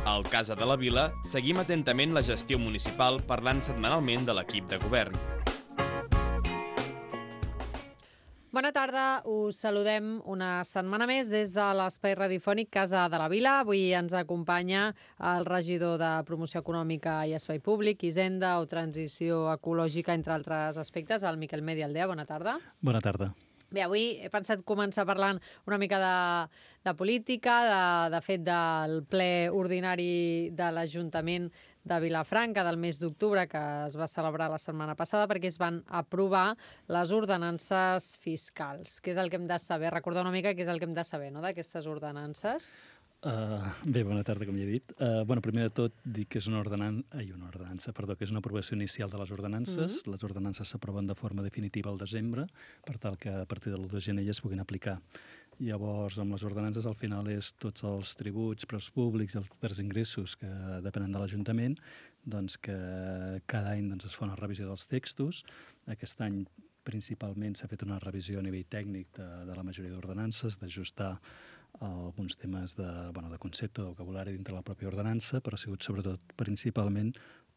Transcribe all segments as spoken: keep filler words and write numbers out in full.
Al Casa de la Vila seguim atentament la gestió municipal parlant setmanalment de l'equip de govern. Bona tarda, us saludem una setmana més des de l'espai radiofònic Casa de la Vila. Avui ens acompanya el regidor de Promoció Econòmica i Espai Públic, Hisenda o Transició Ecològica, entre altres aspectes, el Miquel Medialdea. Bona tarda. Bona tarda. Bé, avui he pensat començar parlant una mica de, de política, de, de fet del ple ordinari de l'Ajuntament de Vilafranca del mes d'octubre, que es va celebrar la setmana passada, perquè es van aprovar les ordenances fiscals. Què és el que hem de saber? Recordar una mica què és el que hem de saber, no?, d'aquestes ordenances. Uh, bé, bona tarda, com ja he dit. Uh, bueno, primer de tot, dir que és una ordenança, ai, una ordenança, perdó, que és una aprovació inicial de les ordenances. Mm-hmm. Les ordenances s'aproven de forma definitiva al desembre, per tal que a partir de l'u de gener ja es puguin aplicar. Llavors, amb les ordenances, al final és tots els tributs, preus públics i els altres ingressos que depenen de l'Ajuntament, doncs que cada any doncs, es fa una revisió dels textos. Aquest any principalment s'ha fet una revisió a nivell tècnic de, de la majoria d'ordenances, d'ajustar alguns temes de, bueno, de concepte, de vocabulari dintre la pròpia ordenança, però ha sigut sobretot principalment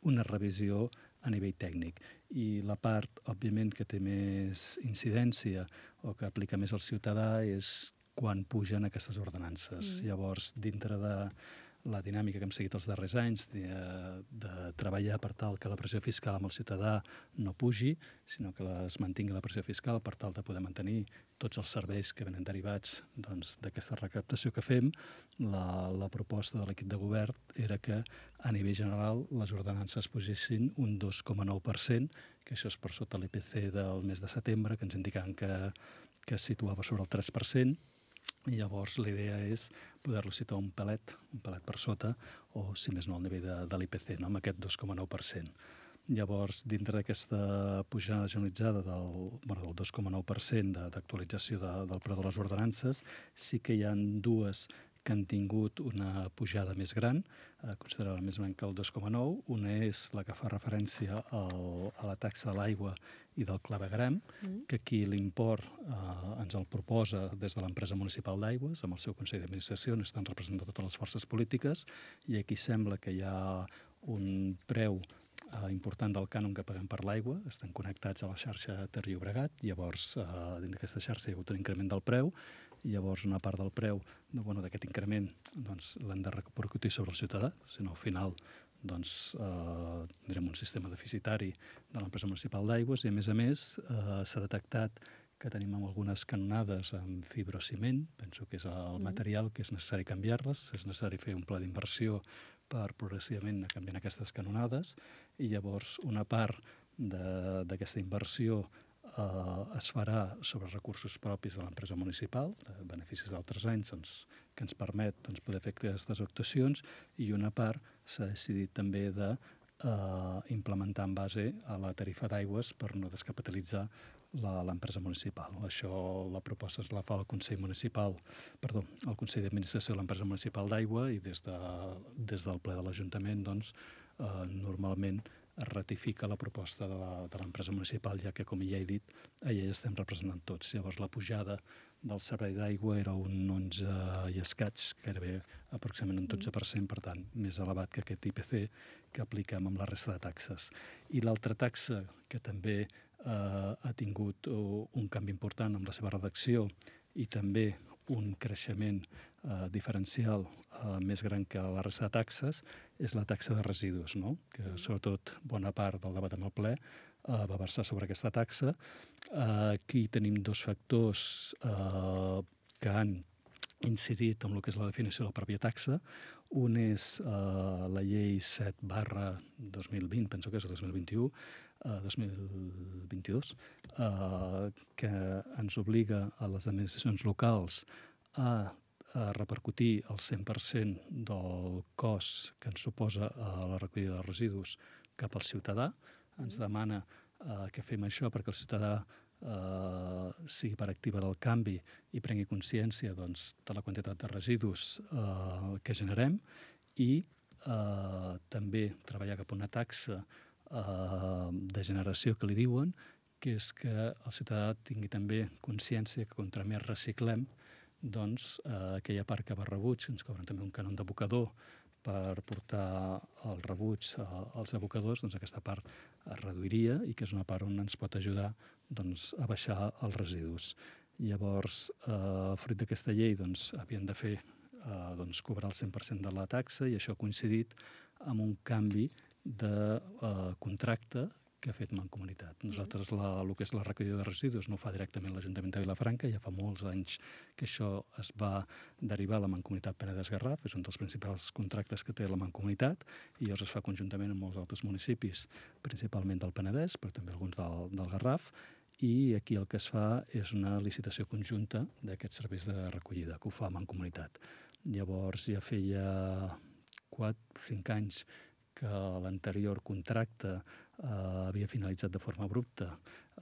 una revisió a nivell tècnic. I la part, òbviament, que té més incidència o que aplica més al ciutadà és quan pugen aquestes ordenances. Mm. Llavors, dintre de la dinàmica que hem seguit els darrers anys de, de treballar per tal que la pressió fiscal amb el ciutadà no pugi, sinó que es mantingui la pressió fiscal per tal de poder mantenir tots els serveis que venen derivats doncs, d'aquesta recaptació que fem, la, la proposta de l'equip de govern era que a nivell general les ordenances pugessin un dos coma nou per cent, que això és per sota l'I P C del mes de setembre, que ens indicaven que, que es situava sobre el tres per cent, i llavors la idea és poder-lo situar un pelet, un pelet per sota, o si més no al nivell de, de l'I P C, no? Amb aquest dos coma nou per cent. Llavors, dintre d'aquesta pujada generalitzada del, bueno, del dos coma nou per cent d'actualització de, del preu de les ordenances, sí que hi ha dues que han tingut una pujada més gran, eh, considerada més gran que el dos coma nou. Una és la que fa referència al, a la taxa de l'aigua i del clavegueram, mm. que aquí l'import eh, ens el proposa des de l'empresa municipal d'aigües, amb el seu Consell d'Administració, on estan representades totes les forces polítiques, i aquí sembla que hi ha un preu eh, important del cànon que paguem per l'aigua, estan connectats a la xarxa Ter-Llobregat, llavors eh, dins d'aquesta xarxa hi ha hagut un increment del preu, i llavors una part del preu no, bueno, d'aquest increment doncs, l'hem de repercutir sobre el ciutadà, si no al final doncs, eh, tindrem un sistema deficitari de l'empresa municipal d'aigües i a més a més eh, s'ha detectat que tenim algunes canonades amb fibrociment, penso que és el material que és necessari canviar-les, és necessari fer un pla d'inversió per progressivament anar canviant aquestes canonades i llavors una part d'aquesta inversió Uh, es farà sobre recursos propis de l'empresa municipal, de beneficis d'altres anys, doncs, que ens permet doncs, poder fer aquestes actuacions, i una part s'ha decidit també de uh, implementar en base a la tarifa d'aigües per no descapitalitzar l'empresa municipal. Això, la proposta es la fa el Consell Municipal, perdó, el Consell d'Administració de l'empresa municipal d'aigua i des, de, des del ple de l'Ajuntament, doncs, uh, normalment es ratifica la proposta de l'empresa municipal, ja que, com ja he dit, allà ja estem representant tots. Llavors, la pujada del servei d'aigua era un onze i escaig, gairebé aproximadament un dotze per cent, per tant, més elevat que aquest I P C que apliquem amb la resta de taxes. I l'altra taxa, que també eh, ha tingut uh, un canvi important amb la seva redacció i també un creixement eh, diferencial eh, més gran que la resta de taxes, és la taxa de residus, no? Que sobretot bona part del debat amb el ple eh, va versar sobre aquesta taxa. Eh, aquí tenim dos factors eh, que han incidit en el que és la definició de la pròpia taxa. Un és eh, la llei set barra dos mil vint, penso que és el dos mil vint-i-u, eh, dos mil vint-i-dos, eh, que ens obliga a les administracions locals a, a repercutir el cent per cent del cost que ens suposa a la recollida de residus cap al ciutadà. Ens demana eh, que fem això perquè el ciutadà eh, sigui part activa del canvi i prengui consciència doncs, de la quantitat de residus eh, que generem i eh, també treballar cap a una taxa eh, de generació que li diuen, que és que el ciutadà tingui també consciència que contra més reciclem, doncs, eh, aquella part que va a rebuig, ens cobren també un cànon d'abocador per portar el rebuig als abocadors, doncs aquesta part es reduiria i que és una part on ens pot ajudar doncs, a baixar els residus. Llavors, eh, fruit d'aquesta llei, doncs, havien de fer eh, doncs, cobrar el cent per cent de la taxa i això ha coincidit amb un canvi de eh, contracte que ha fet Mancomunitat. Nosaltres la, el que és la recollida de residus no ho fa directament l'Ajuntament de Vilafranca, ja fa molts anys que això es va derivar a la Mancomunitat Penedès-Garraf, és un dels principals contractes que té la Mancomunitat, i llavors es fa conjuntament amb molts altres municipis, principalment del Penedès, però també alguns del, del Garraf, i aquí el que es fa és una licitació conjunta d'aquests serveis de recollida, que ho fa Mancomunitat. Llavors ja feia quatre o cinc anys que l'anterior contracte eh, havia finalitzat de forma abrupta,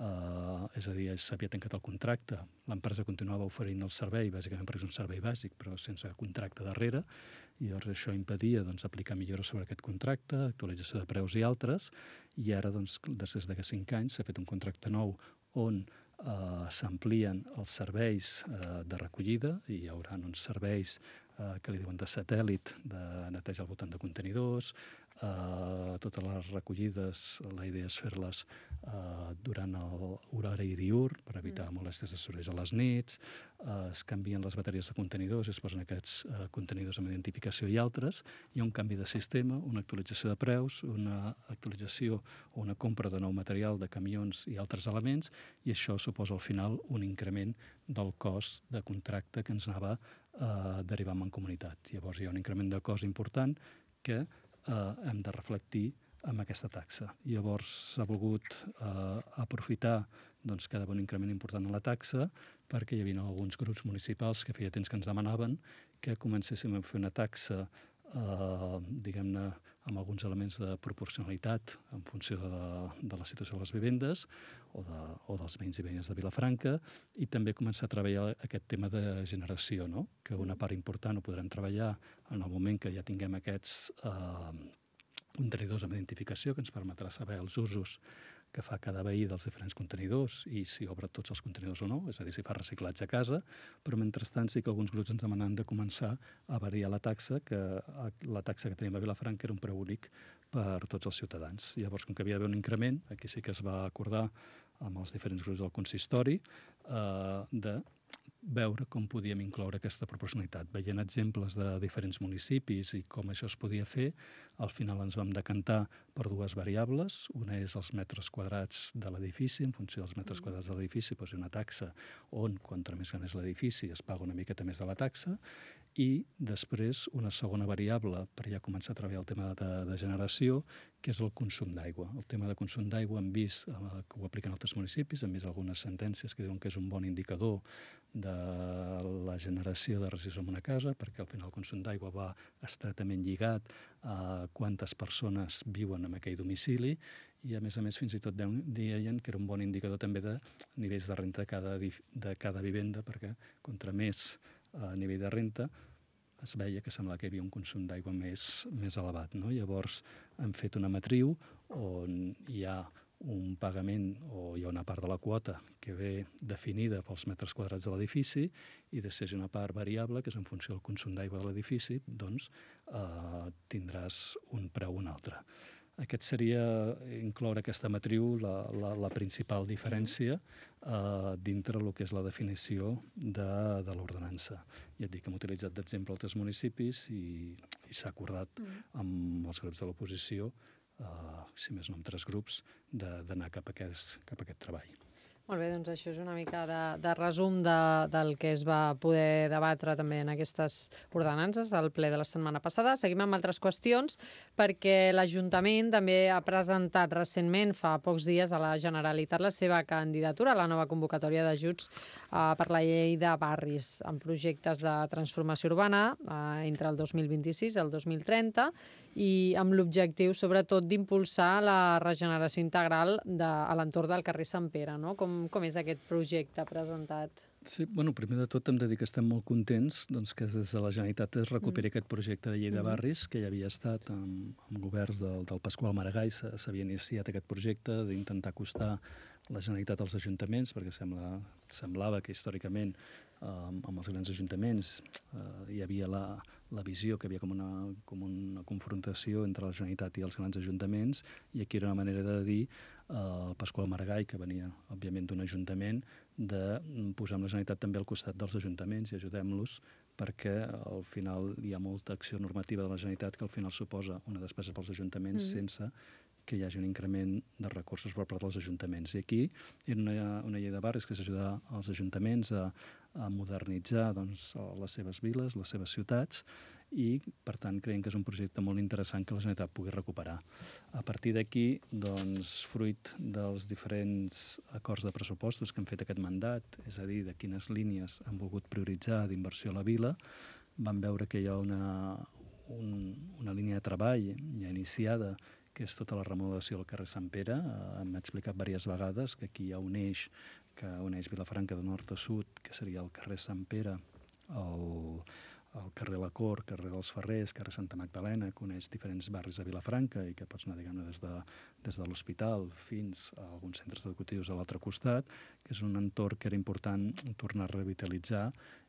eh, és a dir, s'havia tancat el contracte, l'empresa continuava oferint el servei, bàsicament perquè és un servei bàsic, però sense contracte darrere, i llavors això impedia doncs, aplicar millores sobre aquest contracte, actualització de preus i altres, i ara, doncs, després d'aquests cinc anys, s'ha fet un contracte nou on eh, s'amplien els serveis eh, de recollida, i hi haurà uns serveis eh, que li diuen de satèl·lit, de netejar al voltant de contenidors, Uh, totes les recollides, la idea és fer-les uh, durant l'horari diürn per evitar mm. molèsties de sorolls a les nits, uh, es canvien les bateries de contenidors, es posen aquests uh, contenidors amb identificació i altres, hi ha un canvi de sistema, una actualització de preus, una actualització o una compra de nou material de camions i altres elements, i això suposa al final un increment del cost de contracte que ens anava uh, derivant en comunitat. Llavors hi ha un increment de cost important que Eh, hem de reflectir amb aquesta taxa. Llavors s'ha volgut eh, aprofitar doncs, que hi ha un increment important en la taxa perquè hi havia alguns grups municipals que feia temps que ens demanaven que comencéssim a fer una taxa eh, diguem-ne amb alguns elements de proporcionalitat en funció de, de la situació de les vivendes o, de, o dels veïns i veïnes de Vilafranca, i també començar a treballar aquest tema de generació, no? Que una part important ho podrem treballar en el moment que ja tinguem aquests eh, contenidors amb identificació que ens permetrà saber els usos que fa cada veí dels diferents contenidors i si obre tots els contenidors o no, és a dir, si fa reciclatge a casa, però mentrestant sí que alguns grups ens demanen de començar a variar la taxa, que la taxa que tenim a Vilafranca era un preu únic per tots els ciutadans. Llavors, com que havia d'haver un increment, aquí sí que es va acordar amb els diferents grups del consistori eh, de veure com podíem incloure aquesta proporcionalitat. Veient exemples de diferents municipis i com això es podia fer, al final ens vam decantar per dues variables. Una és els metres quadrats de l'edifici. En funció dels metres quadrats de l'edifici posi una taxa on, contra més gran és l'edifici, es paga una miqueta més de la taxa. I després una segona variable per ja començar a treballar el tema de, de generació, que és el consum d'aigua. El tema de consum d'aigua hem vist eh, que ho apliquen altres municipis, hem vist algunes sentències que diuen que és un bon indicador de la generació de residus en una casa, perquè al final el consum d'aigua va estretament lligat a quantes persones viuen en aquell domicili, i a més a més fins i tot deien que era un bon indicador també de nivells de renta de cada, de cada vivenda, perquè contra més a nivell de renta es veia que semblava que hi havia un consum d'aigua més, més elevat. No? Llavors hem fet una matriu on hi ha un pagament o hi ha una part de la quota que ve definida pels metres quadrats de l'edifici i després hi ha una part variable que és en funció del consum d'aigua de l'edifici, doncs eh, tindràs un preu o un altre. Aquest seria incloure aquesta matriu la, la, la principal diferència eh, dintre el que és la definició de, de l'ordenança. Ja et dic que hem utilitzat d'exemple altres municipis i, i s'ha acordat amb els grups de l'oposició, eh, si més no amb tres grups, d'anar cap, cap a aquest treball. Molt bé, doncs això és una mica de, de resum de, del que es va poder debatre també en aquestes ordenances al ple de la setmana passada. Seguim amb altres qüestions, perquè l'Ajuntament també ha presentat recentment, fa pocs dies, a la Generalitat la seva candidatura a la nova convocatòria d'ajuts eh, per la llei de barris, amb projectes de transformació urbana eh, entre el dos mil vint-i-sis i el dos mil trenta, i amb l'objectiu, sobretot, d'impulsar la regeneració integral de, a l'entorn del carrer Sant Pere, no? Com, com és aquest projecte presentat? Sí, bueno, primer de tot hem de dir que estem molt contents doncs, que des de la Generalitat es recuperi mm. aquest projecte de llei de barris, que ja havia estat amb, amb governs del, del Pasqual Maragall, s'havia iniciat aquest projecte d'intentar acostar la Generalitat als ajuntaments, perquè sembla, semblava que històricament amb els grans ajuntaments eh, hi havia la, la visió que hi havia com una, com una confrontació entre la Generalitat i els grans ajuntaments, i aquí era una manera de dir eh, el Pasqual Maragall, que venia, òbviament, d'un ajuntament, de posar amb la Generalitat també al costat dels ajuntaments i ajudem-los, perquè al final hi ha molta acció normativa de la Generalitat que al final suposa una despesa pels ajuntaments mm. sense que hi hagi un increment de recursos per part dels ajuntaments. I aquí era una, una llei de barris que és ajudar els ajuntaments a, a modernitzar doncs, les seves viles, les seves ciutats, i per tant creiem que és un projecte molt interessant que la Generalitat pugui recuperar. A partir d'aquí, doncs, fruit dels diferents acords de pressupostos que han fet aquest mandat, és a dir, de quines línies han volgut prioritzar d'inversió a la vila, vam veure que hi ha una, un, una línia de treball ja iniciada, que és tota la remodelació del carrer Sant Pere. Eh, Hem explicat diverses vegades que aquí hi ha un eix que uneix Vilafranca de nord a sud, que seria el carrer Sant Pere, el, el carrer La Cort, carrer dels Ferrers, carrer Santa Magdalena, que uneix diferents barris de Vilafranca i que pots anar, diguem-ne, des de, des de l'hospital fins a alguns centres educatius a l'altre costat, que és un entorn que era important tornar a revitalitzar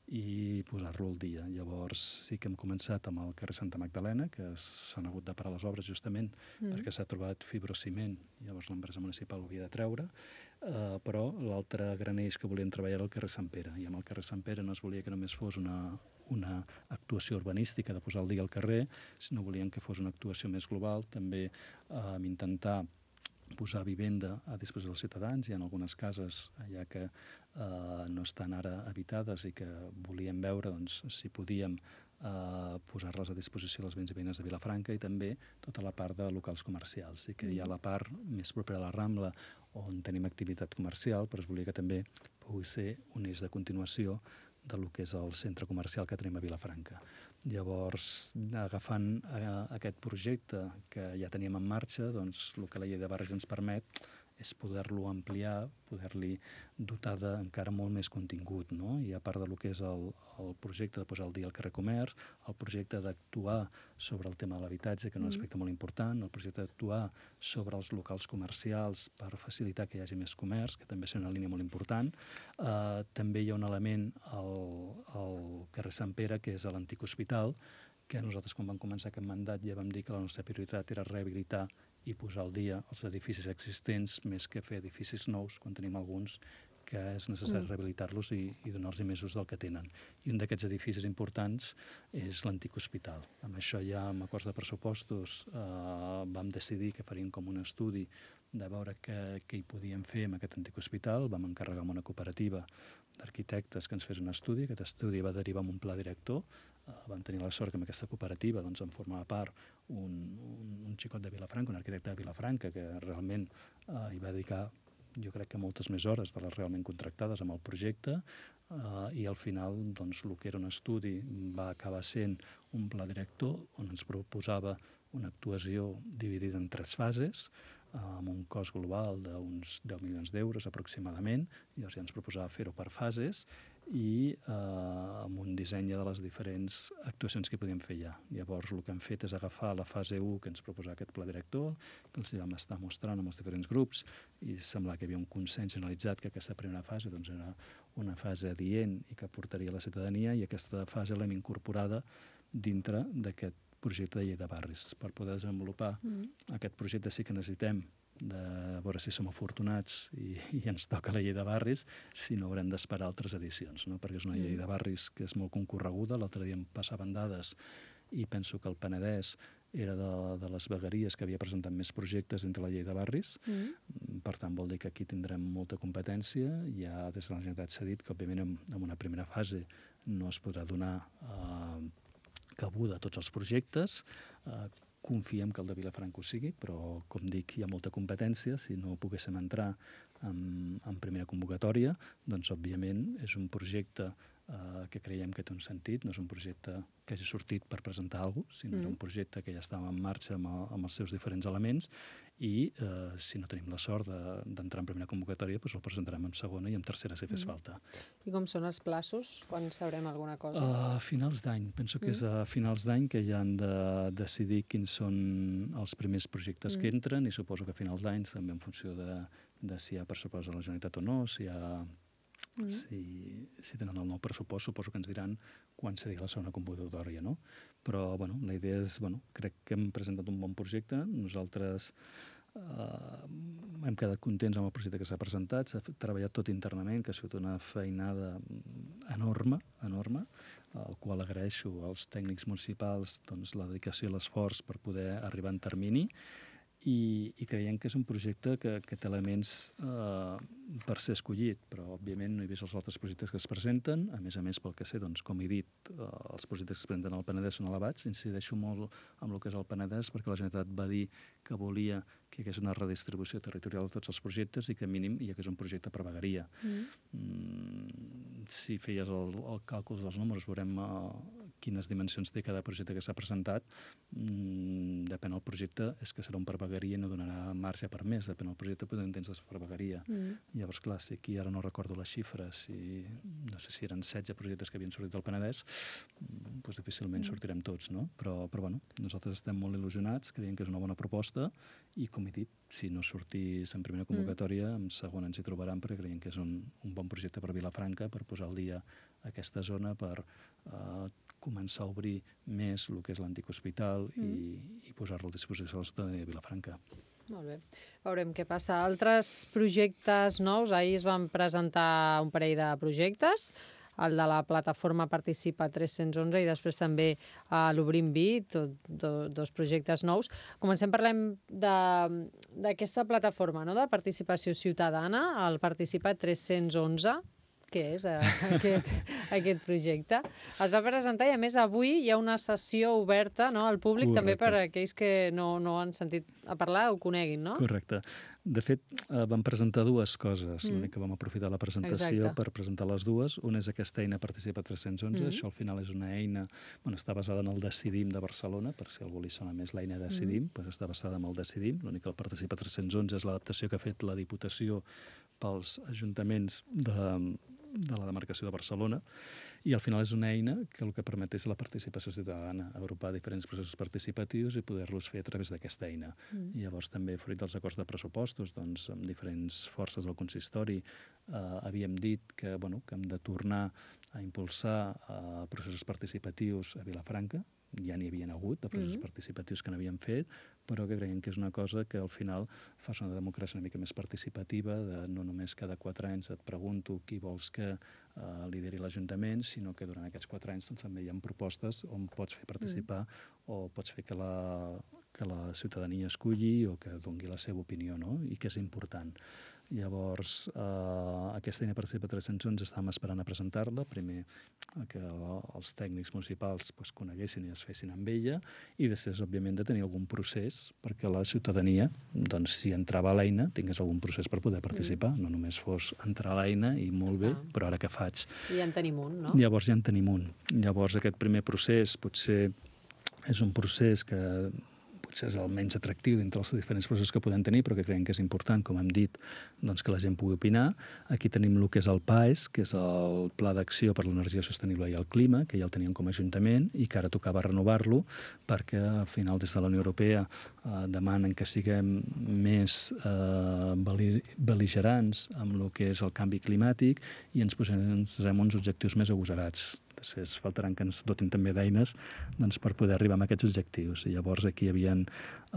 i posar-lo al dia. Llavors sí que hem començat amb el carrer Santa Magdalena, que s'han hagut de parar les obres justament mm. perquè s'ha trobat fibrociment, llavors l'empresa municipal ho havia de treure, uh, però l'altre gran eix que volien treballar era el carrer Sant Pere, i amb el carrer Sant Pere no es volia que només fos una, una actuació urbanística de posar al dia al carrer, sinó volien que fos una actuació més global, també uh, amb intentar posar vivenda a disposició dels ciutadans. Hi ha algunes cases allà que eh, no estan ara habitades i que volíem veure doncs, si podíem eh, posar-les a disposició dels veïns i veïnes de Vilafranca, i també tota la part de locals comercials. Sí que hi ha la part més propera a la Rambla on tenim activitat comercial, però es volia que també pugui ser un eix de continuació de lo que és el centre comercial que tenim a Vilafranca. Llavors, agafant eh, aquest projecte que ja teníem en marxa, doncs el que la llei de barris ens permet és poder-lo ampliar, poder-li dotar d'encara molt més contingut, no? I a part del que és el, el projecte de posar al dia el carrer Comerç, el projecte d'actuar sobre el tema de l'habitatge, que és un aspecte molt important, el projecte d'actuar sobre els locals comercials per facilitar que hi hagi més comerç, que també és una línia molt important. Eh, també hi ha un element al, al carrer Sant Pere, que és l'antic hospital, que nosaltres, quan vam començar aquest mandat, ja vam dir que la nostra prioritat era rehabilitar i posar al dia els edificis existents més que fer edificis nous, quan tenim alguns que és necessari mm. rehabilitar-los i, i donar-los més ús del que tenen. I un d'aquests edificis importants és l'antic hospital. Amb això ja, amb acords de pressupostos, eh, vam decidir que faríem com un estudi de veure què, què hi podíem fer amb aquest antic hospital. Vam encarregar amb una cooperativa d'arquitectes que ens fes un estudi. Aquest estudi va derivar en un pla director. Uh, vam tenir la sort que amb aquesta cooperativa doncs, en formava part un, un, un xicot de Vilafranca, un arquitecte de Vilafranca, que realment uh, hi va dedicar, jo crec que moltes més hores de les realment contractades amb el projecte, uh, i al final doncs, el que era un estudi va acabar sent un pla director on ens proposava una actuació dividida en tres fases, amb un cost global d'uns deu milions d'euros aproximadament. Llavors ja ens proposava fer-ho per fases i eh, amb un disseny de les diferents actuacions que podíem fer ja. Llavors el que hem fet és agafar la fase u que ens proposava aquest pla director, que els vam estar mostrant amb els diferents grups, i semblava que hi havia un consens generalitzat que aquesta primera fase doncs, era una fase adient i que portaria a la ciutadania, i aquesta fase l'hem incorporada dintre d'aquest projecte de llei de barris. Per poder desenvolupar mm. aquest projecte sí que necessitem de veure si som afortunats i, i ens toca la llei de barris, si no haurem d'esperar altres edicions, no? Perquè és una mm. llei de barris que és molt concorreguda. L'altre dia em passaven dades i penso que el Penedès era de, de les vegueries que havia presentat més projectes entre la llei de barris. Mm. Per tant, vol dir que aquí tindrem molta competència. Ja des de la Generalitat s'ha dit que, òbviament, en, en una primera fase no es podrà donar eh, cabuda a tots els projectes. Eh, confiem que el de Vilafranca ho sigui, però, com dic, hi ha molta competència. Si no poguéssim entrar en, en primera convocatòria, doncs, òbviament, és un projecte eh, que creiem que té un sentit. No és un projecte que hagi sortit per presentar alguna cosa, sinó mm. és un projecte que ja estava en marxa amb, el, amb els seus diferents elements, i eh, si no tenim la sort d'entrar de, en primera convocatòria, doncs el presentarem en segona i en tercera si fes mm. falta. I com són els plaços? Quan sabrem alguna cosa? A finals d'any. Penso que mm. és a finals d'any que ja han de decidir quins són els primers projectes mm. que entren, i suposo que a finals d'any, també en funció de, de si hi ha pressupost de la Generalitat o no, si hi ha Mm. Si, si tenen el nou pressupost, suposo que ens diran quan seria la segona convocatòria, no? Però, bueno, la idea és, bueno, crec que hem presentat un bon projecte. Nosaltres Uh, hem quedat contents amb el projecte que s'ha presentat, s'ha treballat tot internament, que ha sigut una feinada enorme, enorme, al qual agraeixo als tècnics municipals doncs, la dedicació i l'esforç per poder arribar en termini, i, i creiem que és un projecte que, que té elements eh, per ser escollit, però òbviament no he vist els altres projectes que es presenten. A més a més, pel que sé, doncs, com he dit, eh, els projectes que es presenten al Penedès són elevats. Incideixo molt amb el que és el Penedès, perquè la Generalitat va dir que volia que hi hagués una redistribució territorial de tots els projectes i que mínim hi hagués un projecte per vegueria. Mm. Mm, si feies el, el càlcul dels números, veurem uh, quines dimensions té cada projecte que s'ha presentat. Mm, depèn del projecte, és que serà un per vegueria i no donarà marge per més. Depèn del projecte, podem entendre per vegueria. Mm. Llavors, clar, si aquí ara no recordo les xifres, i no sé si eren setze projectes que havien sortit del Penedès, doncs difícilment mm. sortirem tots, no? Però, però bueno, nosaltres estem molt il·lusionats, creiem que és una bona proposta, i com he dit, si no sortís en primera convocatòria, mm. en segona ens hi trobaran, perquè creiem que és un, un bon projecte per Vilafranca, per posar al dia aquesta zona, per uh, començar a obrir més el que és l'antic hospital mm. i, i posar-lo a disposició de la ciutadania de Vilafranca. Molt bé. Veurem què passa. Altres projectes nous, ahir es van presentar un parell de projectes, el de la plataforma Participa tres-cents onze i després també uh, l'Obrim Vi, tot, do, dos projectes nous. Comencem, parlem d'aquesta plataforma, no?, de participació ciutadana, el Participa tres-cents onze. Què és uh, aquest, aquest projecte? Es va presentar i, a més, avui hi ha una sessió oberta, no?, al públic. Correcte. També per a aquells que no, no han sentit a parlar o coneguin, no? Correcte. De fet, eh, vam presentar dues coses. Mm. L'únic que vam aprofitar la presentació Exacte. Per presentar les dues. Una és aquesta eina Participa tres-cents onze. Mm. Això, al final, és una eina... Bueno, està basada en el Decidim de Barcelona, per si algú li sona més l'eina Decidim, mm. doncs està basada en el Decidim. L'únic que el Participa tres-cents onze és l'adaptació que ha fet la Diputació pels ajuntaments de, de la demarcació de Barcelona. I al final és una eina que el que permet és la participació ciutadana, agrupar diferents processos participatius i poder-los fer a través d'aquesta eina. Mm. I llavors també, fruit dels acords de pressupostos, doncs, amb diferents forces del consistori, eh, havíem dit que, bueno, que hem de tornar a impulsar eh, processos participatius a Vilafranca. Ja n'hi havien hagut de processos mm. participatius que n'havíem fet, però que creiem que és una cosa que al final fa una democràcia una mica més participativa, de no només cada quatre anys et pregunto qui vols que eh, lideri l'Ajuntament, sinó que durant aquests quatre anys doncs, també hi ha propostes on pots fer participar mm. o pots fer que la, que la ciutadania esculli o que doni la seva opinió, no? I que és important. Llavors, eh, aquesta eina Participa tres-cents onze estàvem esperant a presentar-la, primer que els tècnics municipals pues, coneguessin i es fessin amb ella, i després, òbviament, de tenir algun procés perquè la ciutadania, doncs, si entrava a l'eina, tingués algun procés per poder participar, mm. no només fos entrar a l'eina i molt bé, ah. però ara què faig? I ja en tenim un, no? Llavors ja en tenim un. Llavors aquest primer procés potser és un procés que potser és el menys atractiu dintre els diferents processos que podem tenir, però que creiem que és important, com hem dit, doncs, que la gent pugui opinar. Aquí tenim el que és el P A E S, que és el Pla d'Acció per l'Energia Sostenible i el Clima, que ja el teníem com a Ajuntament i que ara tocava renovar-lo perquè al final des de la Unió Europea eh, demanen que siguem més eh, bel·ligerants amb el que és el canvi climàtic i ens posem, posem uns objectius més agosarats. Després faltaran que ens dotin també d'eines doncs, per poder arribar a aquests objectius. I llavors aquí hi havia eh,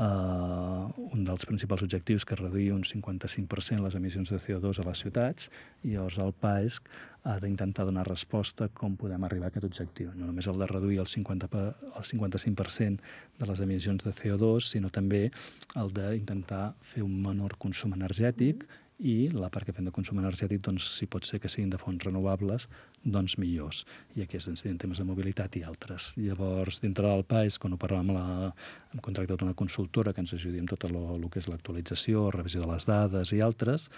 un dels principals objectius que és reduir un cinquanta-cinc per cent les emissions de C O dos a les ciutats, i llavors el P A E S ha d'intentar donar resposta a com podem arribar a aquest objectiu. No només el de reduir el cinquanta per cent, el cinquanta-cinc per cent de les emissions de C O dos, sinó també el d'intentar fer un menor consum energètic, i la part que fem de consum energètic, doncs, si pot ser que siguin de fonts renovables, doncs millors. I aquí es en temes de mobilitat i altres. Llavors, dintre del P A E S, quan ho parlàvem, la, hem contractat una consultora que ens ajudi amb tot el, el que és l'actualització, revisió de les dades i altres,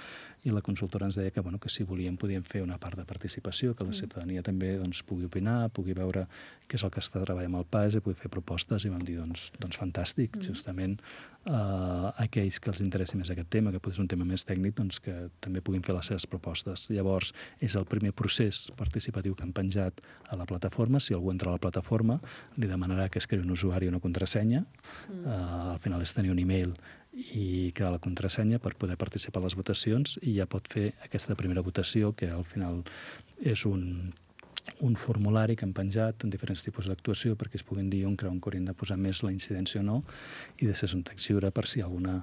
i la consultora ens deia que, bueno, que si volíem podíem fer una part de participació, que la ciutadania també doncs, pugui opinar, pugui veure què és el que està treballant amb el P A E S i pugui fer propostes, i vam dir, doncs, doncs fantàstic, mm. justament eh, aquells que els interessi més aquest tema, que pot ser un tema més tècnic, doncs que també puguin fer les seves propostes. Llavors, és el primer procés participatiu que han penjat a la plataforma. Si algú entra a la plataforma, li demanarà que es creï un usuari o una contrasenya. Mm. Uh, al final és tenir un e-mail i crear la contrasenya per poder participar a les votacions, i ja pot fer aquesta primera votació, que al final és un, un formulari que han penjat en diferents tipus d'actuació perquè es puguin dir on creuen que haurien de posar més la incidència o no, i després un text lliure per si hi ha alguna,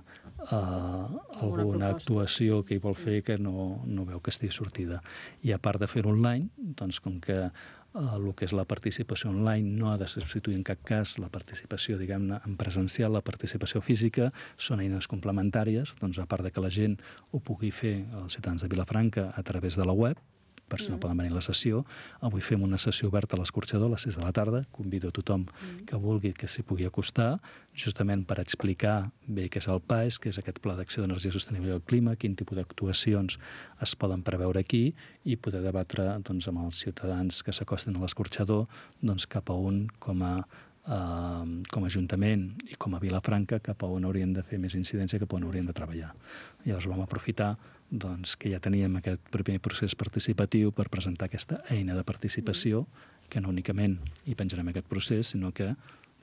uh, alguna actuació que hi vol fer que no, no veu que estigui sortida. I a part de fer-ho online, doncs com que uh, el que és la participació online no ha de substituir en cap cas la participació, diguem-ne, en presencial, la participació física, són eines complementàries, doncs a part de que la gent ho pugui fer, els ciutadans de Vilafranca, a través de la web, per si no poden venir a la sessió. Avui fem una sessió oberta a l'Escorxador a les sis de la tarda. Convido a tothom que vulgui que s'hi pugui acostar, justament per explicar bé què és el P A E S, què és aquest Pla d'Acció d'Energia Sostenible al Clima, quin tipus d'actuacions es poden preveure aquí, i poder debatre doncs, amb els ciutadans que s'acosten a l'Escorxador doncs, cap a un com a Uh, com a Ajuntament i com a Vilafranca, cap a on haurien de fer més incidència, cap a on haurien de treballar. Llavors vam aprofitar doncs, que ja teníem aquest primer procés participatiu per presentar aquesta eina de participació, que no únicament hi penjarem aquest procés, sinó que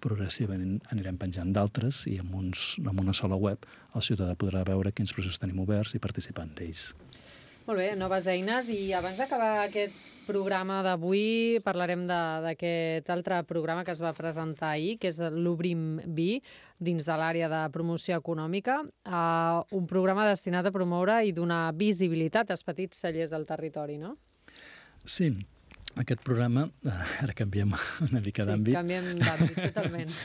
progressivament anirem penjant d'altres, i amb, uns, amb una sola web el ciutadà podrà veure quins processos tenim oberts i participar en ells. Molt bé, noves eines. I abans d'acabar aquest programa d'avui parlarem d'aquest altre programa que es va presentar ahir, que és l'Obrim Vi, dins de l'àrea de promoció econòmica, uh, un programa destinat a promoure i donar visibilitat als petits cellers del territori, no? Sí, aquest programa, ara canviem una mica d'àmbit. Sí, canviem d'àmbit, totalment.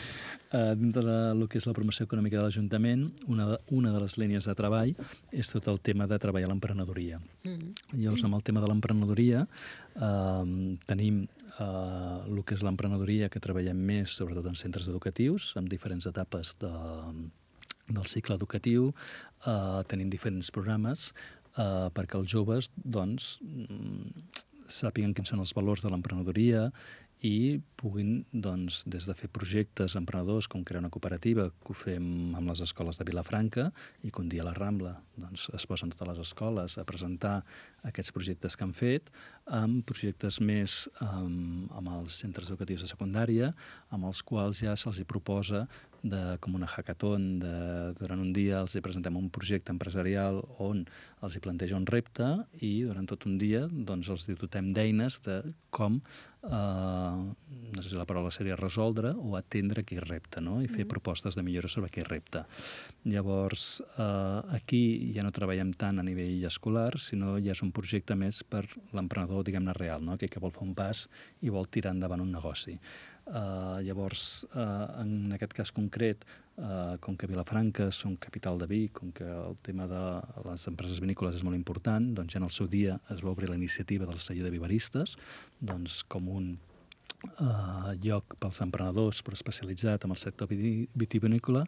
Uh, dintre del que és la promoció econòmica de l'Ajuntament, una, de, una de les línies de treball és tot el tema de treballar l'emprenedoria. Mm-hmm. Llavors, amb el tema de l'emprenedoria, uh, tenim uh, el que és l'emprenedoria, que treballem més, sobretot en centres educatius, amb diferents etapes de, del cicle educatiu. Uh, tenim diferents programes uh, perquè els joves doncs, sàpiguen quins són els valors de l'emprenedoria i puguin, doncs, des de fer projectes emprenedors, com crear una cooperativa, que ho fem amb les escoles de Vilafranca, i que un dia a la Rambla doncs, es posen totes les escoles a presentar aquests projectes que han fet, amb projectes més um, amb els centres educatius de secundària, amb els quals ja se'ls hi proposa de, com una hackathon, de, durant un dia els hi presentem un projecte empresarial on els hi planteja un repte, i durant tot un dia doncs, els dotem d'eines de com, eh, no sé si la paraula seria resoldre o atendre aquell repte, no? I fer mm. propostes de millora sobre aquell repte. Llavors, eh, aquí ja no treballem tant a nivell escolar, sinó ja és un projecte més per l'emprenedor, diguem-ne, real, no? Aquell que vol fer un pas i vol tirar endavant un negoci. Uh, llavors, uh, en aquest cas concret, uh, com que Vilafranca són capital de vi, com que el tema de les empreses vinícoles és molt important, doncs ja en el seu dia es va obrir la iniciativa del celler de viveristes, doncs com un Uh, lloc pels emprenedors, però especialitzat en el sector vitivinícola,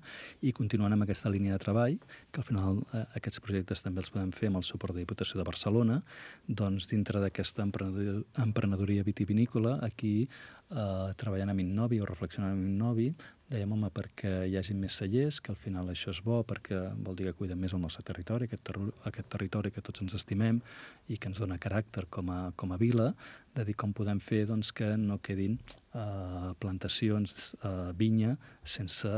i continuant amb aquesta línia de treball, que al final uh, aquests projectes també els podem fer amb el suport de Diputació de Barcelona, doncs dintre d'aquesta emprenedor, emprenedoria vitivinícola, aquí uh, treballant amb Innovi o reflexionant amb Innovi, dèiem, home, perquè hi hagi més cellers, que al final això és bo, perquè vol dir que cuidem més el nostre territori, aquest, ter aquest territori que tots ens estimem i que ens dona caràcter com a, com a vila, de dir com podem fer doncs, que no quedin uh, plantacions, uh, vinya, sense,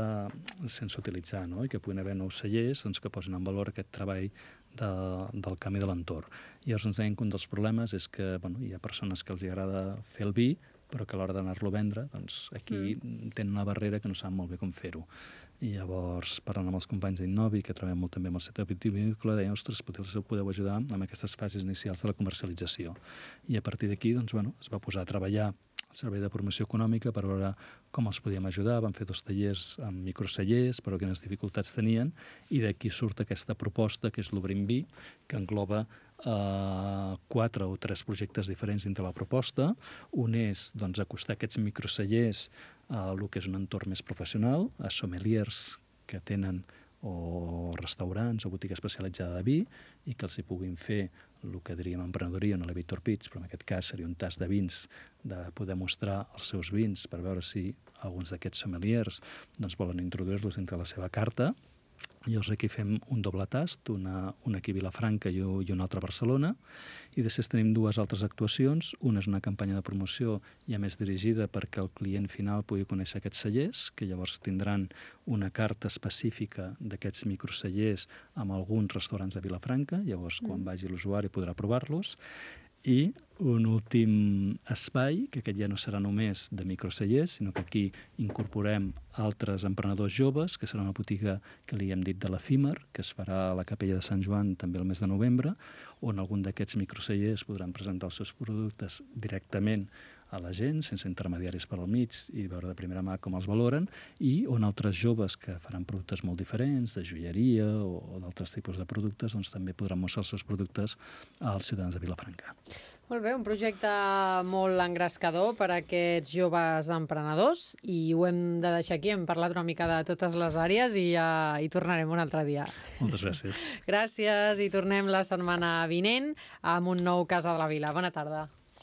sense utilitzar, no? I que puguin haver nous cellers doncs, que posin en valor aquest treball de, del camí de l'entorn. I llavors ens deien que un dels problemes és que bueno, hi ha persones que els agrada fer el vi, però que a l'hora d'anar-lo a vendre, doncs aquí mm. tenen una barrera que no saben molt bé com fer-ho. I llavors, parlant amb els companys d'Innovi, que treballem molt també amb el sector vitivinícola, deien, ostres, potser podeu ajudar amb aquestes fases inicials de la comercialització. I a partir d'aquí, doncs, bueno, es va posar a treballar el Servei de Promoció Econòmica per veure com els podíem ajudar. Vam fer dos tallers amb microcellers, però quines dificultats tenien, i d'aquí surt aquesta proposta, que és l'Obrim Vi, que engloba Uh, quatre o tres projectes diferents dintre la proposta. Un és doncs, acostar aquests microcellers a el que és un entorn més professional, a sommeliers que tenen o restaurants o botiga especialitzada de vi, i que els hi puguin fer el que diríem emprenedoria, no l'elevator pitch, però en aquest cas seria un tast de vins, de poder mostrar els seus vins per veure si alguns d'aquests sommeliers doncs, volen introduir-los dintre la seva carta. Llavors aquí fem un doble tast, una, una aquí a Vilafranca i un altre a Barcelona, i després tenim dues altres actuacions. Una és una campanya de promoció ja més dirigida perquè el client final pugui conèixer aquests cellers, que llavors tindran una carta específica d'aquests microcellers amb alguns restaurants de Vilafranca, llavors quan Mm. vagi l'usuari podrà provar-los. I un últim espai, que aquest ja no serà només de microcellers, sinó que aquí incorporem altres emprenedors joves, que serà una botiga que li hem dit de l'Efímer, que es farà a la Capella de Sant Joan també el mes de novembre, on algun d'aquests microcellers podran presentar els seus productes directament a la gent, sense intermediaris per al mig, i veure de primera mà com els valoren, i on altres joves que faran productes molt diferents, de joieria o, o d'altres tipus de productes, doncs també podran mostrar els seus productes als ciutadans de Vilafranca. Molt bé, un projecte molt engrescador per a aquests joves emprenedors, i ho hem de deixar aquí. Hem parlat una mica de totes les àrees i ja hi tornarem un altre dia. Moltes gràcies. Gràcies, i tornem la setmana vinent amb un nou Casa de la Vila. Bona tarda.